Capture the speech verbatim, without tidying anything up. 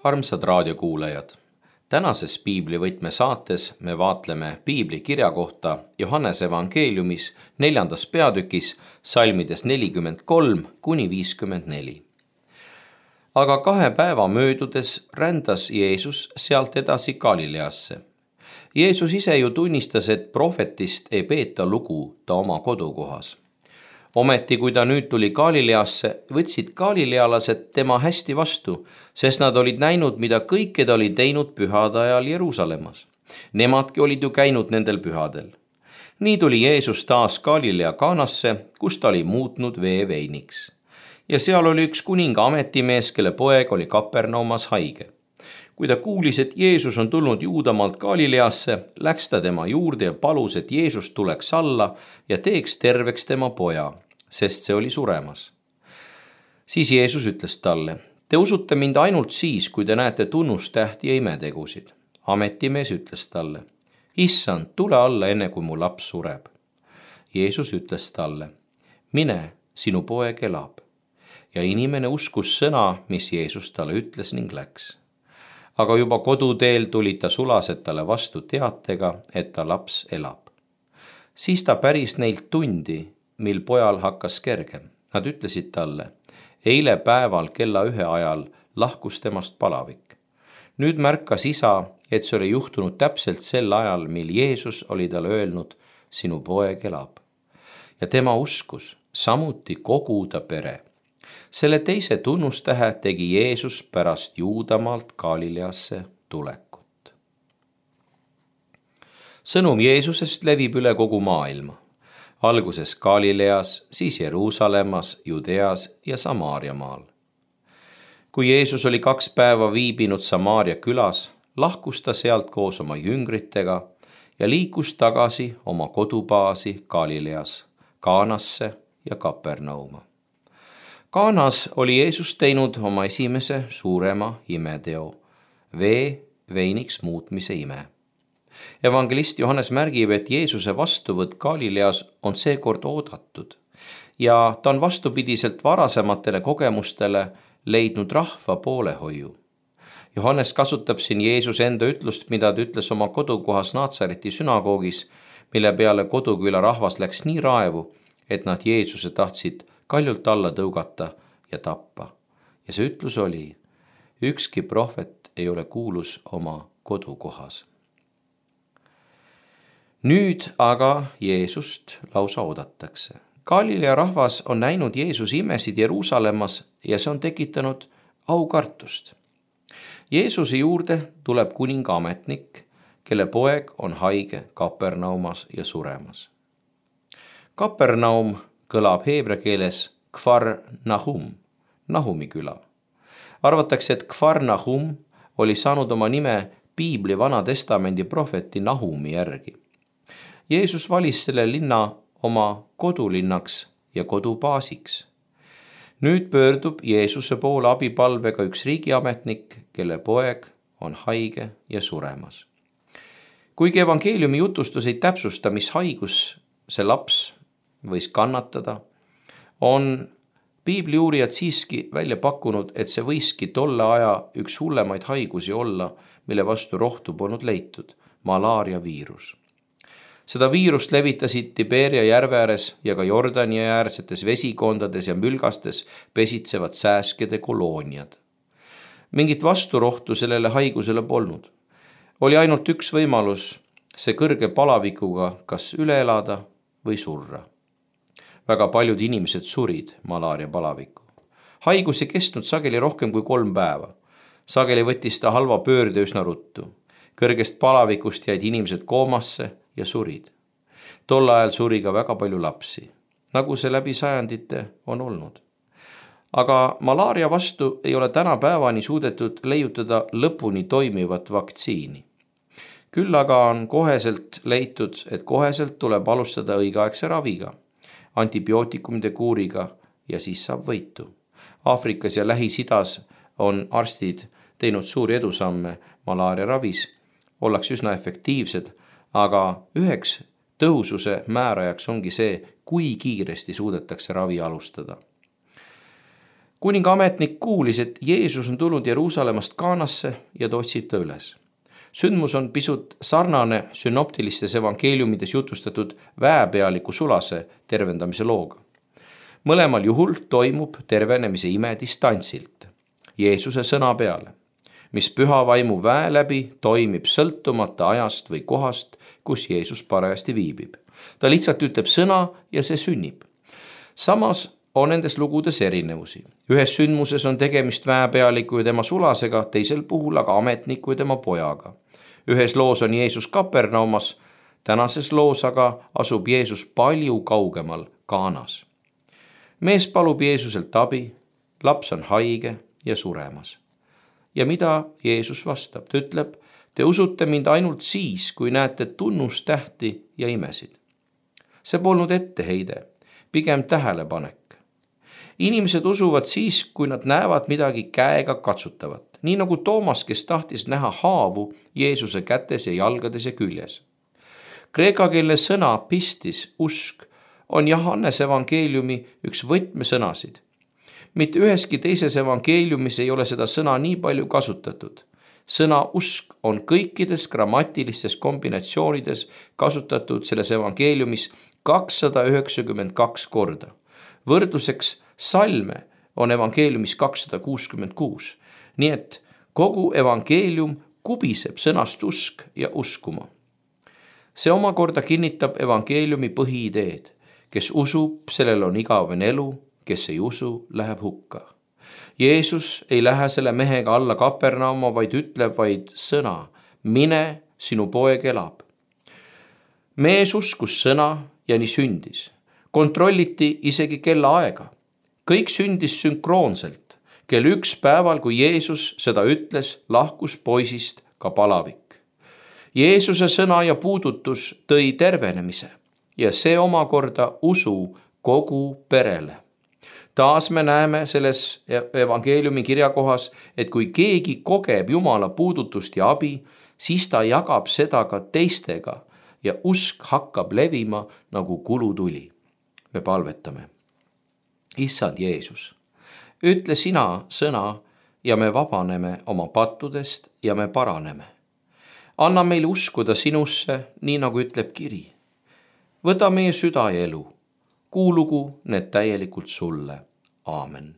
Armsad raadiokuulajad, tänases piiblivõtme saates me vaatleme piibli kirja kohta Johannese evangeeliumis neljandas peatükis salmides nelikümmend kolm kuni viiskümmend neli. Aga kahe päeva möödudes rändas Jeesus sealt edasi Galileasse. Jeesus ise ju tunnistas, et prohvetist ei peeta lugu ta oma kodukohas. Ometi, kui ta nüüd tuli Galileasse, võtsid galilealased tema hästi vastu, sest nad olid näinud, mida kõike ta oli teinud pühade ajal Jeruusalemmas. Nemadki olid ju käinud nendel pühadel. Nii tuli Jeesus taas Galilea Kaanasse, kus ta oli muutnud vee veiniks. Ja seal oli üks kuninga ametimees, kelle poeg oli Kapernaumas haige. Kui ta kuulis, et Jeesus on tulnud Juudamaalt Galileasse, läks ta tema juurde ja palus, et Jeesus tuleks alla ja teeks terveks tema poja, sest see oli suremas. Siis Jeesus ütles talle, te usute mind ainult siis, kui te näete tunnustähti ja imetegusid. Ametimees ütles talle, issand, tule alla enne, kui mu laps sureb. Jeesus ütles talle, mine, sinu poeg elab. Ja inimene uskus sõna, mis Jeesus talle ütles ning läks. Aga juba koduteel tulid ta sulased talle vastu teatega, et ta laps elab. Siis ta päris neilt tundi, mil pojal hakkas kergem. Nad ütlesid talle, eile päeval kella ühe ajal lahkus temast palavik. Nüüd märkas isa, et see oli juhtunud täpselt sel ajal, mil Jeesus oli talle öelnud, sinu poeg elab. Ja tema uskus, samuti kogu ta pere. Selle teise tunnustähe tegi Jeesus pärast Juudamaalt Galileasse tulekut. Sõnum Jeesusest levib üle kogu maailma. Alguses Galileas, siis Jeruusalemmas, Judeas ja Samaariamaal. Kui Jeesus oli kaks päeva viibinud Samaaria külas, lahkus ta sealt koos oma jüngritega ja liikus tagasi oma kodubaasi Galileas, Kaanasse ja Kapernauma. Kaanas oli Jeesus teinud oma esimese suurema imeteo, vee veiniks muutmise ime. Evangelist Johannes märgib, et Jeesuse vastuvõtt Galileas on seekord oodatud ja ta on vastupidiselt varasematele kogemustele leidnud rahva poolehoiu. Johannes kasutab siin Jeesuse enda ütlust, mida ta ütles oma kodukohas Naatsareti sünagoogis, mille peale koduküla rahvas läks nii raevu, et nad Jeesuse tahtsid kaljult alla tõugata ja tappa. Ja see ütlus oli, ükski prohvet ei ole kuulus oma kodukohas. Nüüd aga Jeesust lausa oodatakse. Galilea rahvas on näinud Jeesuse imesid Jeruusalemmas ja see on tekitanud aukartust. Jeesuse juurde tuleb kuninga ametnik, kelle poeg on haige Kapernaumas ja suremas. Kapernaum kõlab heebrea keeles Kfar Nahum, Nahumi küla. Arvatakse, et Kfar Nahum oli saanud oma nime piibli Vana Testamendi prohveti Nahumi järgi. Jeesus valis selle linna oma kodulinnaks ja kodubaasiks. Nüüd pöördub Jeesuse poole abipalvega üks riigiametnik, kelle poeg on haige ja suremas. Kuigi evangeeliumi jutustus ei täpsusta, mis haigus see laps võis kannatada, on piibliuurijad siiski välja pakkunud, et see võiski tolle aja üks hullemaid haigusi olla, mille vastu rohtu polnud leitud, malaaria viirus. Seda viirust levitasid Tiberia järve ääres ja ka Jordani äärsetes vesikondades ja mülgastes pesitsevad sääskede kolooniad. Mingit vasturohtu sellele haigusele polnud. Oli ainult üks võimalus, see kõrge palavikuga kas üle elada või surra. Väga paljud inimesed surid malaaria palaviku. Haigus ei kestnud sageli rohkem kui kolm päeva. Sageli võttis ta halva pöörde üsna ruttu. Kõrgest palavikust jäid inimesed koomasse ja surid. Tol ajal suri ka väga palju lapsi, nagu see läbi sajandite on olnud. Aga malaaria vastu ei ole tänapäevani suudetud leiutada lõpuni toimivat vaktsiini. Küll aga on koheselt leitud, et koheselt tuleb alustada õigeaegse raviga, antibiootikumide kuuriga ja siis saab võitu. Aafrikas ja Lähis-Idas on arstid teinud suuri edusamme malaaria ravis, ollakse üsna efektiivsed, aga üheks tõhususe määrajaks ongi see, kui kiiresti suudetakse ravi alustada. kuninga ametnik kuulis, et Jeesus on tulnud Jeruusalemmast Kaanasse ja ta otsib ta üles. Sündmus on pisut sarnane synoptilistes evangeeliumides jutustatud väepealiku Sulase tervendamise looga. Mõlemal juhul toimub tervenemise ime distantsilt, Jeesuse sõna peale, mis püha vaimu väe läbi toimib sõltumata ajast või kohast, kus Jeesus parajasti viibib. Ta lihtsalt ütleb sõna ja see sünnib. Samas on nendes lugudes erinevusi. Ühes sündmuses on tegemist väepealiku ja tema sulasega, teisel puhul aga ametniku ja tema pojaga. Ühes loos on Jeesus Kapernaumas, tänases loos aga asub Jeesus palju kaugemal Kaanas. Mees palub Jeesuselt abi, laps on haige ja suremas. Ja mida Jeesus vastab? Ta ütleb, te usute mind ainult siis, kui näete tunnustähti ja imesid. See polnud etteheide, pigem tähelepanek. Inimesed usuvad siis, kui nad näevad midagi käega katsutavat, nii nagu Toomas, kes tahtis näha haavu Jeesuse kätes ja jalgades ja küljes. Kreeka keeles sõna pistis, usk, on Johannese evangeeliumi üks võtmesõnasid. Mitte üheski teises evangeeliumis ei ole seda sõna nii palju kasutatud. Sõna usk on kõikides grammatilistes kombinatsioonides kasutatud selles evangeeliumis kakssada üheksakümmend kaks korda. Võrdluseks salme on evangeeliumis kakssada kuuskümmend kuus. Nii et kogu evangeelium kubiseb sõnast usk ja uskuma. See omakorda kinnitab evangeeliumi põhiideed. Kes usub, sellel on igavene elu, kes ei usu, läheb hukka. Jeesus ei lähe selle mehega alla Kapernauma, vaid ütleb vaid sõna, mine, sinu poeg elab. Mees uskus sõna ja nii sündis. Kontrolliti isegi kella aega. Kõik sündis sünkroonselt. Kell üks päeval, kui Jeesus seda ütles, lahkus poisist ka palavik. Jeesuse sõna ja puudutus tõi tervenemise ja see omakorda usu kogu perele. Taas me näeme selles evangeeliumi kirjakohas, et kui keegi kogeb Jumala puudutust ja abi, siis ta jagab seda ka teistega ja usk hakkab levima nagu kulutuli. Me palvetame. Issand Jeesus, ütle sina sõna ja me vabaneme oma pattudest ja me paraneme. Anna meil uskuda sinusse, nii nagu ütleb kiri. Võta meie süda ja elu. Kuulugu need täielikult sulle. Aamen.